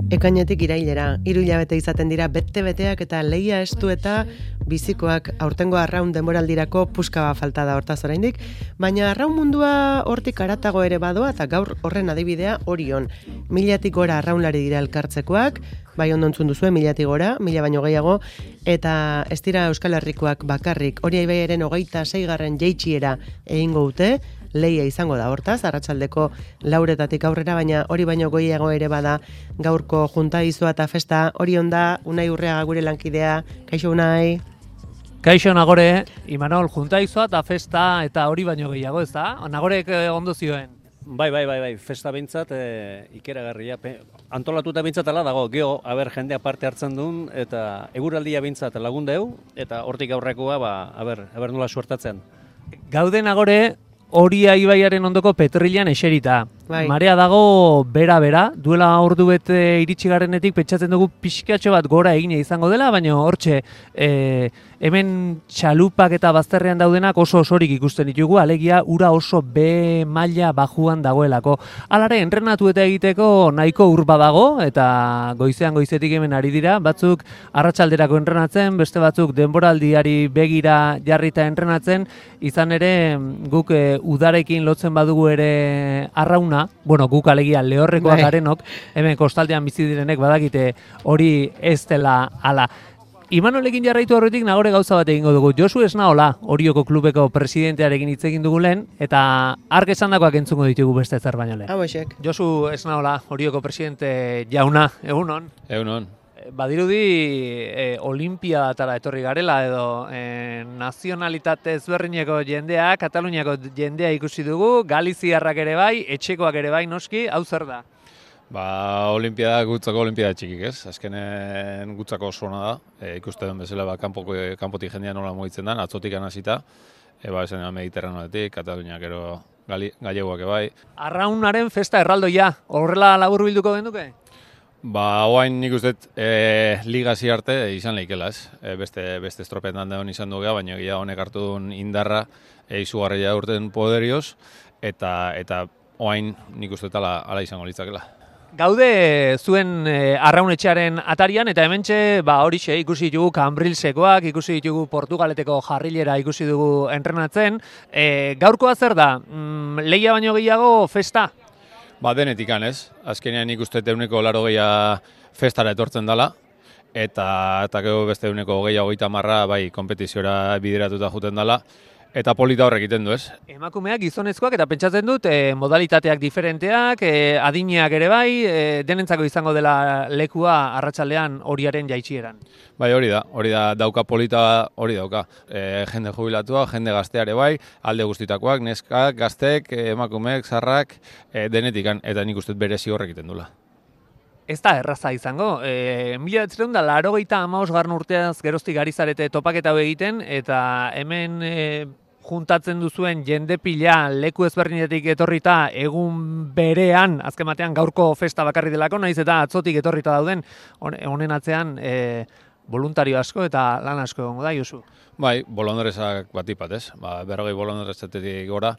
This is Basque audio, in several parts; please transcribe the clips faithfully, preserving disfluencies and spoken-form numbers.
Ekainetik irailera, hiru hilabete izaten dira bete-beteak eta lehia estu eta bizikoak aurtengo arraun denboraldirako puskaba falta da hortaz oraindik, baina arraun mundua hortik haratago ere badoa eta gaur horren adibidea Orion. Milatik gora arraunlari dira elkartzekoak, bai ondo entzun duzue, milatik gora, mila baino gehiago, eta ez dira Euskal Herrikoak bakarrik, Oria ibaiaren hogeita seigarren jeitsiera egingo dute, lehia izango da hortaz, arratsaldeko lauretatik aurrera, baina hori baino goiago ere bada gaurko junta izua eta festa. Orion da, Unai Urreaga gure lankidea, kaixo Unai. Kaixo Nagore, Imanol, junta izua eta festa eta hori baino gehiago, ez da? Nagorek ondo zioen. Bai, bai, bai, bai, festa bintzat, e, ikeragarria, antolatuta bintzat ala dago, geho, aber, jendea parte hartzen duen, eta eguraldia bintzat lagundeu, eta hortik aurrekoa, ba, aber, aber nola suertatzen. Gaude Nagore, Oria ibaiaren ondoko Petrilan eserita. Bai. Marea dago bera-bera, duela ordu bete iritsi garenetik pentsatzen dugu pixkatxo bat gora egine izango dela, baina hortxe, e, hemen txalupak eta bazterrean daudenak oso osorik ikusten ditugu, alegia ura oso be maila bajuan dagoelako. Alare, entrenatu eta egiteko nahiko urba dago, eta goizean goizetik hemen ari dira, batzuk arratsalderako entrenatzen, beste batzuk denboraldiari begira jarrita entrenatzen, izan ere guk e, udarekin lotzen badugu ere arrauna, bueno, guk alegia lehorrekoak garenok, hemen kostaldean bizi direnek badakite hori ez dela ala. Imanolekin jarraitu horretik Nagore gauza bat egingo dugu. Josu Esnaola, Orioko klubeko presidentearekin hitz egin dugu lehen, eta ark esandakoak entzungo ditugu beste zer baino lehen. Hauexek. Josu Esnaola, Orioko presidente jauna, egunon. Egunon. Badirudi e, olimpiadatara etorri garela edo e, nazionalitate ezberdineko jendea, Kataluniako jendea ikusi dugu, Galiziarrak ere bai, etxekoak ere bai noski, hau zer da? Ba, olimpiada gutzako olimpiada txikik, ez? Azkenen gutzako oso ona da. E, ikuste den bezala ba kanpoko kanpotik jendea nola mugitzen den, atzotik hasita. E, ba, esan Mediterraneotik, Kataluniak ero galleguak bai. Arraunaren festa erraldoia, horrela laburbilduko genduke? Ba, oain nik uste e, ligazi arte e, izan lehikela, ez? E, beste, beste estropetan da hon izan dugea, baina egia honek hartu duen indarra e, izugarria urten poderioz, eta eta oain nik uste ala, ala izango litzakela. Gaude zuen e, arraunetxearen atarian, eta hementxe ba, horixe ikusi ditugu Kanbrilsekoak, ikusi ditugu Portugaleteko jarrilera ikusi dugu entrenatzen. E, gaurkoa zer da? Mm, lehia baino gehiago festa? Ba, denetikan ez. Azkenean nik uste euneko laro gehiago festara etortzen dela, eta, eta gero beste euneko gehiago gehiago marra bai, kompetiziora bideratuta juten dela, eta polita horrek egiten du ez. Emakumeak gizonezkoak eta pentsatzen dut e, modalitateak diferenteak, e, adineak ere bai, e, denentzako izango dela lekua arratsaldean Oriaren jaitsieran. Bai, hori da, hori da dauka polita, hori dauka. E, jende jubilatua, jende gazteare bai, alde guztitakoak, neskak, gaztek, emakumeek, zarrak, e, denetikan, eta nik uste berezi horrek egiten dula. Ez da erraza izango. E, mila bederatziehun eta laurogeita hamabosgarren urteaz geroztik ari zarete topaketa hau egiten, eta hemen e, juntatzen duzuen jende pila leku ezberdinetik etorrita egun berean, azken batean gaurko festa bakarri delako, naiz eta atzotik etorrita dauden, honen atzean e, voluntario asko eta lan asko egongo da, Josu. Bai, bolondrezak batipat ez, ba, berrogei bolondrezetetik gora,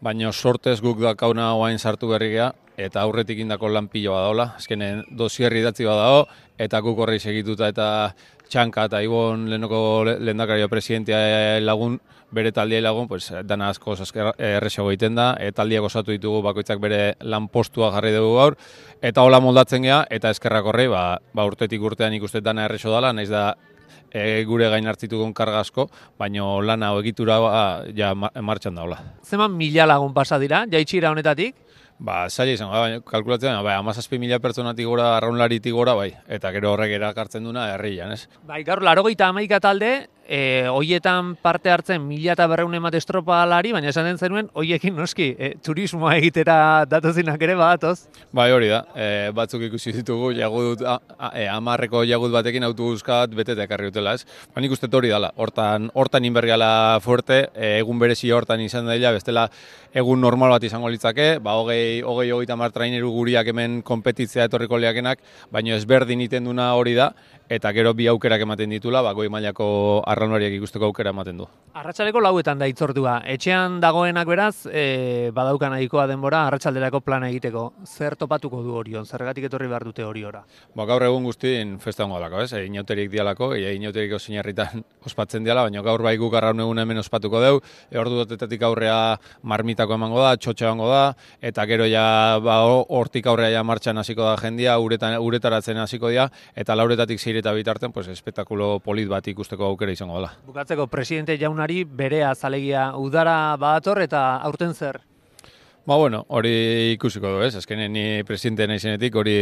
baina sortez guk dakauna oain sartu berri geha, eta aurretik indako lan pilo badaola, azkenen dosierri idatzi badago, eta guk horri segituta eta txanka eta ibon lehenoko lehendakario presidentea lagun, bere taldia lagun, pues, dana asko erresago egiten da, e, taldiak osatu ditugu bakoitzak bere lan postua jarri dugu gaur, eta hola moldatzen geha, eta eskerrak horri, ba, ba urtetik urtean ikuste dana erreso dela, naiz da e, gure gain hartzitugun karga asko, baina lana egitura ba, ja martxan daula. Zeman mila lagun pasa dira, jaitsira honetatik? Ba, zaila izango, bai, kalkulatzen, bai, amazazpi mila pertsonatik gora, arraunlaritik gora, bai, eta gero horrek erakartzen duna herrian, ez? Bai, gaur, laurogeita hamaika talde, e, hoietan parte hartzen mila eta berreun emat estropalari, baina esan den zenuen, hoiekin noski, e, turismoa egitera datozinak ere badatoz? Bai, hori da, e, batzuk ikusi ditugu, jagudut, e, amarreko jagud batekin autobuskat beteta ekarri dutela, ez? Ba, nik uste hori dala, hortan, hortan inbergala fuerte, e, egun berezi hortan izan daila, bestela egun normal bat izango litzake, ba, hogei, hogei, hogeita mar traineru guriak hemen konpetitzea etorriko liakenak, baina ezberdin iten duna hori da, eta gero bi aukerak ematen ditula, ba, goi mailako arraunlariak ikusteko aukera ematen du. Arratsaleko lauetan da hitzordua. Etxean dagoenak beraz, e, badauka nahikoa denbora arratsalderako plana egiteko. Zer topatuko du Orion? Zergatik etorri behar dute Oriora? Ba, gaur egun guztien festa hongo dalako, ez? Inauterik dialako, e, inauterik osinarritan ospatzen diala, baina gaur bai guk arraun egun hemen ospatuko deu, e, ordu dotetatik aurrea marmitako emango da, txotxa emango da, eta gero ja ba, hortik aurrea ja martxan hasiko da jendia, uretan, uretaratzen hasiko dira, eta lauretatik zeireta bitarten, pues, espektakulo polit bat ikusteko aukera izango dela. Bukatzeko, presidente jaunari berea zalegia udara badator eta aurten zer? Ba, bueno, hori ikusiko du, ez? Azkenen ni presidente naizenetik hori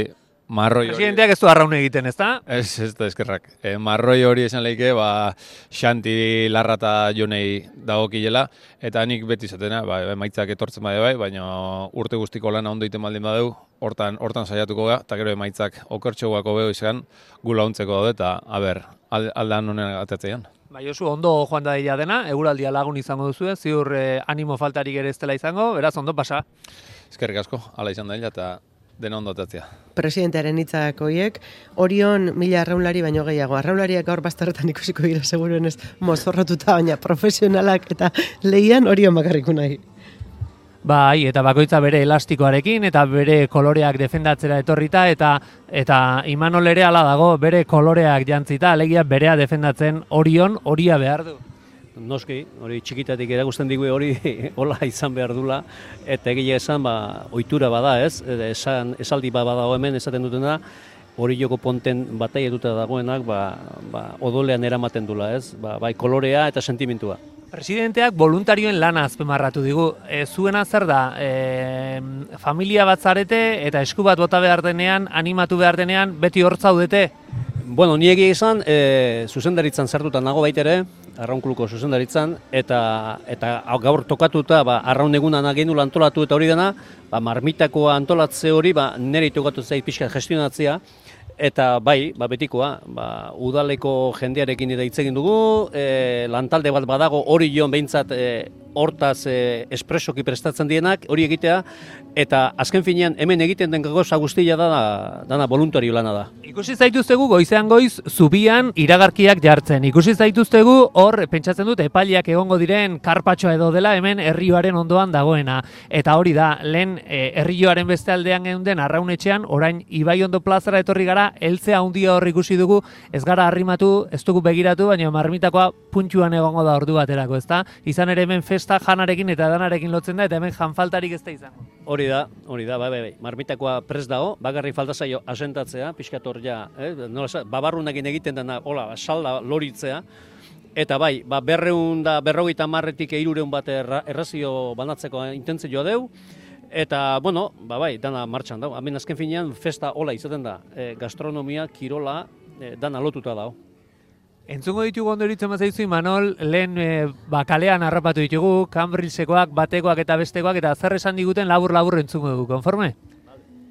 marroi hori... Presidenteak ez du arraun egiten, ez da? Ez, ez da, eskerrak. E, marroi hori esan leike, ba, Xanti Larrata Jonei dagokilela, eta nik beti izatena, ba, emaitzak etortzen bade bai, baina urte guztiko lana ondo iten baldin badeu, hortan, hortan saiatuko ga, eta gero emaitzak okertxoguako beho izan, gu launtzeko daude, eta, a ber, aldan honen atatzean. Bai, Josu, ondo joan da dela dena, eguraldia lagun izango duzu, ziur eh, animo faltarik ere ez dela izango, beraz, ondo pasa. Eskerrik asko, hala izan da dela, eta dena ondo atatzea. Presidentearen hitzak horiek, Orion mila arraunlari baino gehiago. Arraunlariak gaur bazterretan ikusiko dira seguruenez mozorrotuta, baina profesionalak eta lehian Orion bakarriku nahi. Bai, eta bakoitza bere elastikoarekin eta bere koloreak defendatzera etorrita eta eta Imanol ere hala dago, bere koloreak jantzita, alegia berea defendatzen Orion, horia behar du. Noski, hori txikitatik erakusten digu hori hola izan behar dula, eta egia esan, ba, ohitura bada, ez? Esan, esaldi bat badago hemen esaten dutena, hori joko ponten batai eduta dagoenak, ba, ba, odolean eramaten dula, ez? Ba, bai kolorea eta sentimentua. Presidenteak voluntarioen lana azpimarratu digu. E, zuena zer da, e, familia bat zarete eta esku bat bota behar denean, animatu behar denean, beti hor zaudete? Bueno, ni egia izan, e, zuzendaritzan sartuta nago baitere, arraunkuluko zuzendaritzan, eta eta gaur tokatuta, ba, arraun egunan agendula antolatu eta hori dena, ba, marmitakoa antolatze hori, ba, nire tokatu zait pixka gestionatzea, eta bai, ba, betikoa, ba, udaleko jendearekin ere hitz egin dugu, e, lantalde bat badago hori joan behintzat e, hortaz e, espresoki prestatzen dienak, hori egitea, eta azken finean hemen egiten den gauza guztia da, dana voluntario lana da. Ikusi zaituztegu goizean goiz zubian iragarkiak jartzen. Ikusi zaituztegu hor pentsatzen dut epaileak egongo diren karpatxoa edo dela hemen herrioaren ondoan dagoena. Eta hori da, lehen e, herrioaren beste aldean geunden arraunetxean, orain Ibaiondo plazara etorri gara, heltzea handia hor ikusi dugu, ez gara arrimatu, ez dugu begiratu, baina marmitakoa puntxuan egongo da ordu baterako, ezta? Izan ere hemen festa janarekin eta danarekin lotzen da, eta hemen janfaltarik ez da izango. Hori da, hori da, bai, bai, bai. Marmitakoa prest dago, bakarrik falta zaio asentatzea, pixkator ja, eh? Nola, babarrunekin egiten dena, hola, salda loritzea, eta bai, ba, berreun da, berrogeita marretik eirureun bat erra, errazio banatzeko intentzioa deu, eta, bueno, ba, bai, dana martxan dago. Hemen azken finean, festa hola izaten da, e, gastronomia, kirola, e, dana lotuta dago. Entzungo ditugu ondo eritzen bazaizu, Imanol, lehen e, ba, kalean harrapatu ditugu, Cambrilsekoak, batekoak eta bestekoak, eta zer esan diguten labur-labur entzungo dugu, konforme?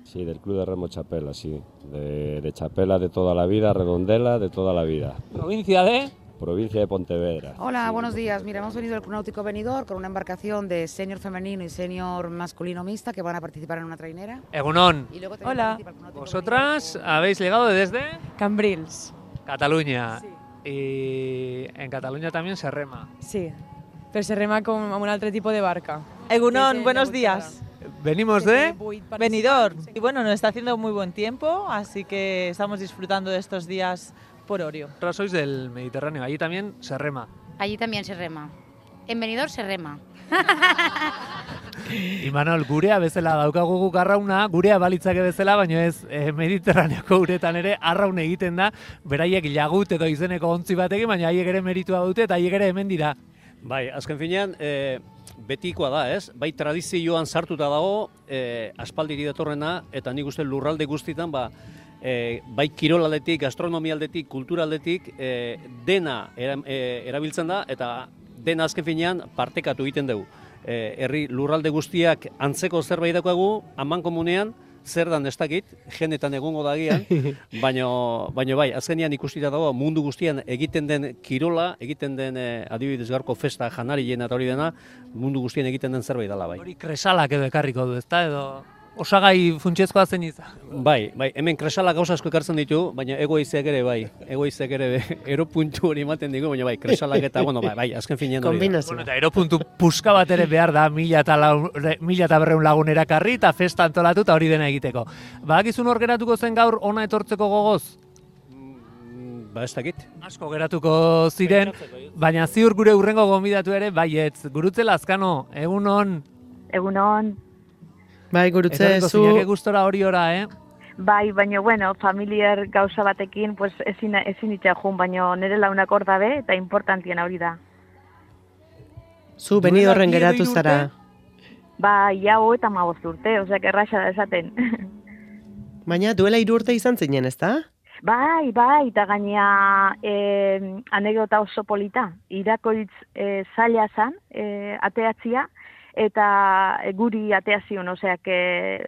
Sí, del Club de Remo Chapela, sí. De, de Chapela de toda la vida, Redondela de toda la vida. Provincia de... Provincia de Pontevedra. Hola, sí. Buenos días. Mira, hemos venido del Club Náutico Benidorm con una embarcación de senior femenino y senior masculino mixta que van a participar en una trainera. Egunon. Y luego Hola. Vosotras habéis llegado desde Cambrils. Cataluña. Sí. Y en Cataluña también se rema. Sí, pero se rema con un otro tipo de barca. Egunon, Desde buenos la días. Venimos de... Benidorm. Y bueno, nos está haciendo muy buen tiempo, así que estamos disfrutando de estos días por Orio. Vosotras sois del Mediterráneo, allí también se rema. Allí también se rema. En Benidorm se rema. Imanol, gurea bezala daukagu guk arrauna, gurea balitzake bezala, baina ez eh, Mediterraneoko uretan ere arraun egiten da, beraiek lagut edo izeneko ontzi batekin, baina haiek ere meritua dute eta haiek ere hemen dira. Bai, azken finean, e, betikoa da, ez? Bai, tradizioan sartuta dago, e, aspaldiri datorrena, eta nik uste lurralde guztitan, ba, e, bai kirolaldetik, gastronomialdetik, kulturaldetik, e, dena era, e, erabiltzen da, eta dena azken finean partekatu egiten dugu. E, herri lurralde guztiak antzeko zerbait daukagu, aman komunean, zer dan ez dakit, genetan egongo dagian, baino, baino bai, azkenean ikustita dago mundu guztian egiten den kirola, egiten den e, adibidez gaurko festa janarien eta hori dena, mundu guztian egiten den zerbait dela bai. Hori kresalak edo ekarriko du, ezta edo... osagai funtsezkoa zen izan. Bai, bai, hemen kresala gauza asko ekartzen ditu, baina egoizeak ere bai, egoizeak ere eropuntu hori ematen digu, baina bai, kresalak eta, bueno, bai, bai azken finean hori. Kombinazio. Bueno, eta eropuntu puska bat ere behar da, mila eta, lau, mila eta berreun lagun erakarri eta festa antolatu eta hori dena egiteko. Badakizun hor geratuko zen gaur ona etortzeko gogoz? Ba, ez dakit. Asko geratuko ziren, baina ziur gure hurrengo gonbidatu ere, baietz, Gurutze Lazkano, egun hon. Egun hon. Bai, Gurutze, Etorriko zu... zinake gustora hori ora, eh? Bai, baina, bueno, familiar gauza batekin, pues, ezin, ezin itxajun, baina nire launak hor dabe, eta importantien hori da. Zu Benidorren geratu zara. Bai, jau eta magoz urte, oseak erraxa da esaten. Baina duela hiru urte izan zinen, ezta? Bai, bai, eta gaina eh, anekdota oso polita. Irakoitz eh, zaila zan, eh, ateatzia, eta guri ateazion, oseak eh,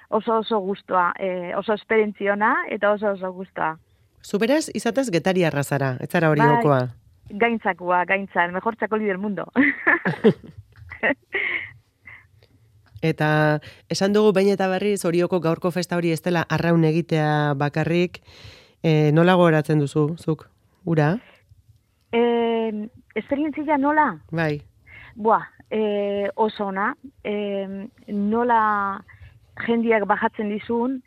oso oso guztua, eh, oso esperientziona, eta oso oso guztua. Zu beraz, izatez getariarra zara, ez zara hori bai, gokoa. Gaintzakua, gaintzan, mejor txakoli del mundo. Eta esan dugu behin eta berriz horioko gaurko festa hori ez dela arraun egitea bakarrik, e, nola gogoratzen duzu, zuk, ura? E, esperientzia nola? Bai. Buah, e, oso ona, e, nola jendiak bajatzen dizun,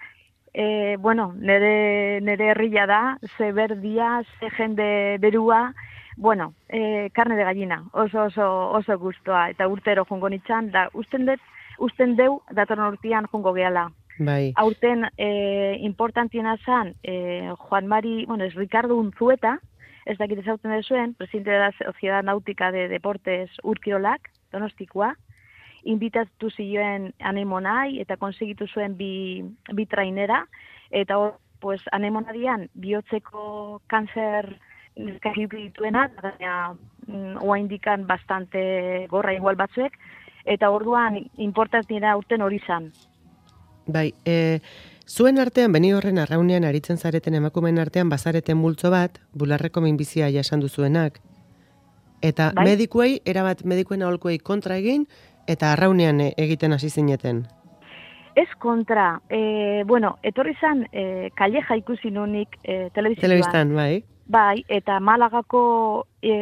e, bueno, nere, nere herria da, ze berdia, ze jende berua, bueno, e, carne de gallina, oso oso oso gustoa, eta urtero jongo nitzan, da usten dut, usten deu, datorren urtean jongo gehala. Bai. Aurten e, importantiena zan, e, Juan Mari, bueno, es Ricardo Unzueta, ez dakit ezauten dezuen, presidente de la Sociedad Náutica de Deportes Urkirolak, Donostikoa, inbitatu zioen anemonai, eta konsegitu zuen bi, bi trainera, eta hor, pues, anemonadian, bihotzeko kanzer neskak dituena, baina oa indikan bastante gorra igual batzuek, eta orduan importantiena urten hori zan. Bai, e, zuen artean, Benidorren arraunean aritzen zareten emakumeen artean bazareten multzo bat, bularreko minbizia jasan duzuenak. Eta bai? Medikuei, erabat medikuen aholkuei kontra egin, eta arraunean egiten hasi zineten. Ez kontra, e, bueno, etorri zan, e, Calleja ikusi nunik e, telebizioan. Telebistan, bai. Bai, eta Malagako e,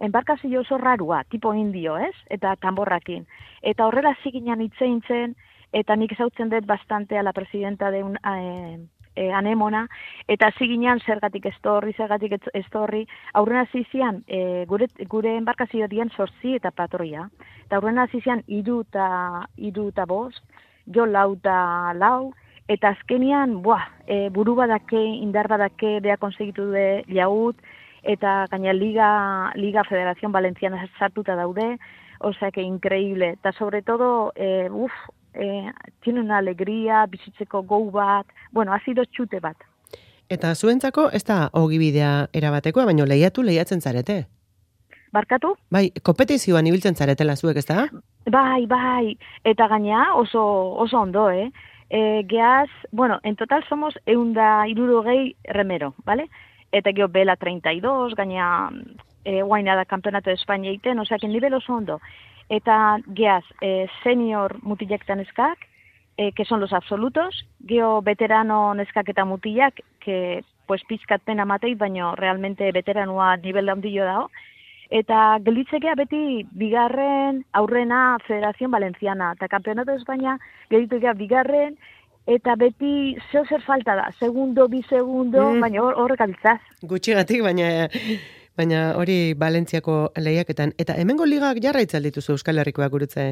enbarkazio oso rarua, tipo indio, ez? Eta tamborrakin. Eta horrela ziginan itzein zen, eta nik ezautzen dut bastante a la presidenta de un eh, eh, anemona, eta ziginan zergatik estorri, zergatik estorri, aurrena zizian eh, gure, gure enbarkazio dien sortzi eta patroia. Eta aurrena zizian iru eta iru eta bost, jo lau eta lau, eta azkenian, buah, e, buru badake, indar badake, beha konsegitu de jaut, eta gaina Liga, Liga Federación Valenciana sartuta daude, osea que increíble, eta sobre todo, eh, uff, Eh, tiene una alegría, bizitzeko gau bat, bueno, ha sido txute bat. Eta zuentzako ez da ogibidea erabatekoa, baino lehiatu lehiatzen zarete. Barkatu? Bai, kompetizioan ibiltzen zaretela zuek, ez da? Bai, bai, eta gaina oso, oso ondo, eh? E, geaz, bueno, en total somos eunda irurogei remero, ¿vale? Eta geho bela treinta y dos, gaina e, guaina da Campeonato de España egiten, osea, que nivel oso ondo. Eta geaz, eh, senior mutilak eta neskak, eh, que son los absolutos, geho veterano neskak eta mutilak, que pues pizkat pena matei, baina realmente veteranoa nivel handillo dao. Eta gelitzekea beti bigarren aurrena Federación Valenciana, eta Campeonato de España gelitzekea bigarren, eta beti zeo zer falta da, segundo, bi segundo, mm. baina horrek hor abiltzaz. Gutxigatik, baina... Baina hori Valentziako lehiaketan. Eta hemengo ligak jarraitzen dituzu Euskal Herrikoak Gurutze?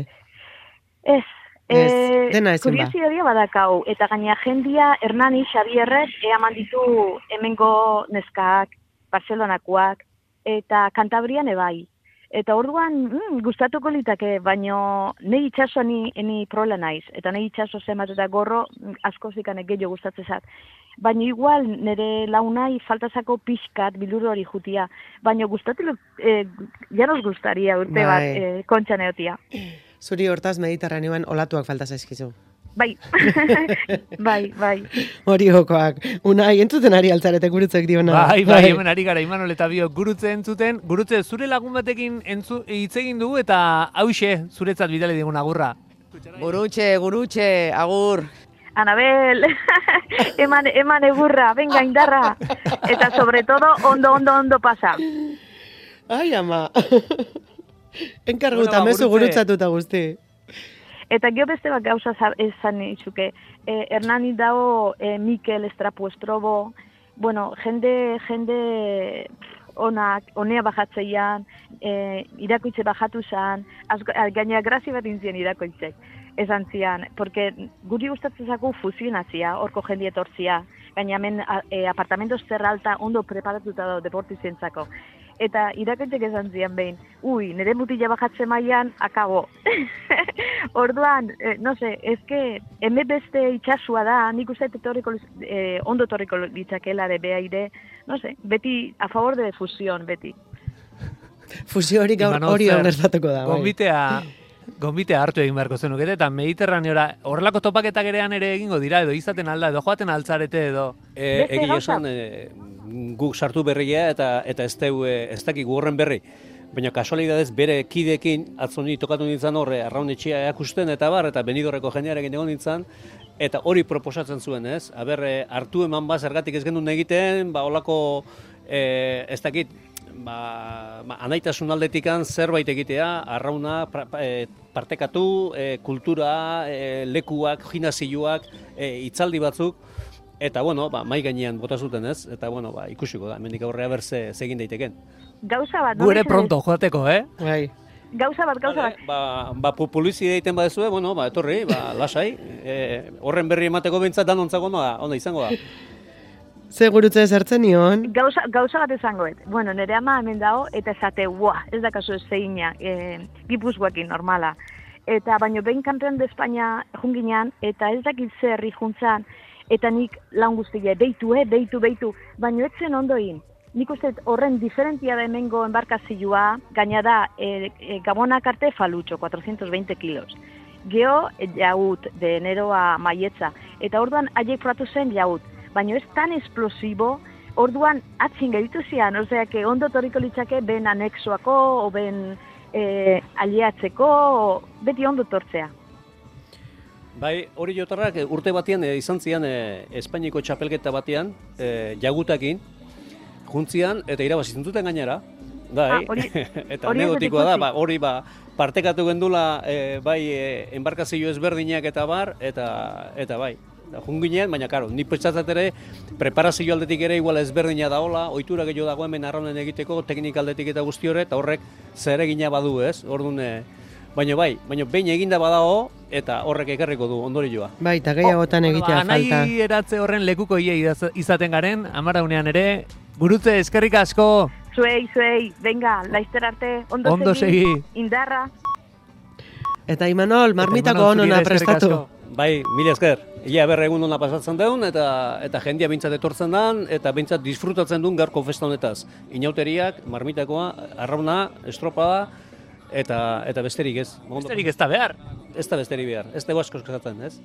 Ez. Ez, dena ezin ba. Kuriosidadea badakau. Eta gaina jendia Hernani Xabierrek eaman ditu hemengo neskak, Barcelonakoak, eta Kantabrian ebai. Eta orduan, mm, gustatuko litake, baino nahi itxaso ni, ni prola naiz. Eta nahi itxaso zemat eta gorro askozikanek gehiago gustatzezat. Baina igual nire launai faltazako pixkat biluru hori jutia. Baina gustatu, eh, ja nos gustaria urte bai. bat eh, kontxan eotia. Zuri hortaz Mediterraneoan olatuak falta zaizkizu. Bai, bai, bai. Hori jokoak. Unai, entzuten ari altzarete Gurutzek diona. Bai, bai, hemen ari gara Imanol eta bio Gurutze entzuten. Gurutze, zure lagun batekin entzu, hitz egin dugu eta hauxe zuretzat bidali digun agurra. Gurutxe, gurutxe, agur. Anabel, eman, eman egurra, venga, indarra. Eta sobre todo, ondo, ondo, ondo pasa. Ai, ama. Enkarguta, mezu gurutzatuta guzti. Eta gio beste bat gauza esan itxuke. Eh, Hernani dago eh, Mikel Estrapu Estrobo, bueno, jende, jende onak, onea bajatzeian, eh, irakoitze bajatu zan, gaina grazi bat inzien irakoitzek. Esan zian, porque guri gustatzen zaku fusionazia, horko jendi etortzia, gaina hemen e, apartamentos zerralta ondo preparatuta da deportizientzako. Eta irakoitzek esan zian behin, ui, nire mutila bajatzen mailan, akabo. Orduan, eh, no se, ezke, heme beste itxasua da, nik uste etorriko, eh, ondo torriko litzakela de behaire, no se, beti, a favor de fusión, beti. Fusio hori gaur hori gertatuko da. Gonbitea, gonbitea hartu egin beharko zenukete, eta Mediterraneora horrelako topaketak erean ere egingo dira, edo izaten alda, edo joaten altzarete edo. E, Egi esan, e, guk sartu berria eta eta ez deu, ez dakik horren berri. Baina kasualidadez bere kidekin atzoni tokatu nintzen horre, arraunetxea erakusten eta bar, eta Benidorreko jendearekin egon nintzen, eta hori proposatzen zuen, ez? Aber, hartu eman ba, zergatik ez gendun egiten, ba, holako, e, ez dakit, ba, ba, anaitasun aldetikan zerbait egitea, arrauna pra, e, partekatu, e, kultura, e, lekuak, gimnasioak, e, hitzaldi batzuk, eta, bueno, ba, mai gainean bota zuten, ez? Eta, bueno, ba, ikusiko da, hemendik aurrea berze egin daiteken. Gauza bat, no? Gure pronto joateko, eh? Bai. Gauza bat, gauza bat. Ba, ba publizidea egiten badezue, bueno, ba, etorri, ba, lasai, e, horren berri emateko behintzat danontzako ona, ona izango da. Ze gurutze ezartzen nion? Gauza, gauza bat esangoet. Bueno, nire ama hemen dago, eta esate, ua, ez da kasu ez zeina, e, gipuzkoekin normala. Eta baino behin kampeon de Espainia junginan, eta ez dakit zerri juntzan, eta nik lan guztia, beitu, eh, beitu, beitu, baino etzen ondoin. Nik uste horren diferentia da hemengo embarkazioa, gaina da e, e, Gabonak arte falutxo, cuatrocientos veinte kilos. Geo e, jaut, de enero a maietza, eta orduan haiek fratu zen jaut, baina ez tan esplosibo, orduan atzin geritu zian, osea, que ondo torriko litzake ben anexoako, o ben e, aliatzeko, o beti ondo tortzea. Bai, hori jotarrak urte batean e, izan zian e, Espainiko txapelketa batean, e, jagutakin, juntzian, eta irabazitzen duten gainera. Bai, ah, ori, eta anekdotikoa da, ba, hori ba, partekatu gendula e, bai e, enbarkazio ezberdinak eta bar, eta eta bai. Junginean, baina karo, ni pentsatzat ere, preparazio aldetik ere igual ezberdina daola, ohitura gehiago dago hemen arraunen egiteko, teknika aldetik eta guzti horre, eta horrek zer egina badu ez, orduan, e, baina bai, baina behin eginda badago, eta horrek ekarriko du ondorioa. Bai, eta gehiagotan egitea oh, falta. Nahi eratze horren lekuko iei izaten garen, amaraunean ere, gurutze eskerrik asko. Zuei, zuei, venga, laizter arte, ondo, ondo segi, segi, indarra. Eta Imanol, marmitako onona prestatu. Bai, mila esker. Ia berre egun ona pasatzen deun, eta eta jendia bintzat etortzen dan, eta bintzat disfrutatzen duen gaurko festa honetaz. Inauteriak, marmitakoa, arrauna, estropada, eta eta besterik ez. Besterik ez da behar. Ez da besterik behar, ez da asko eskatzen, ez?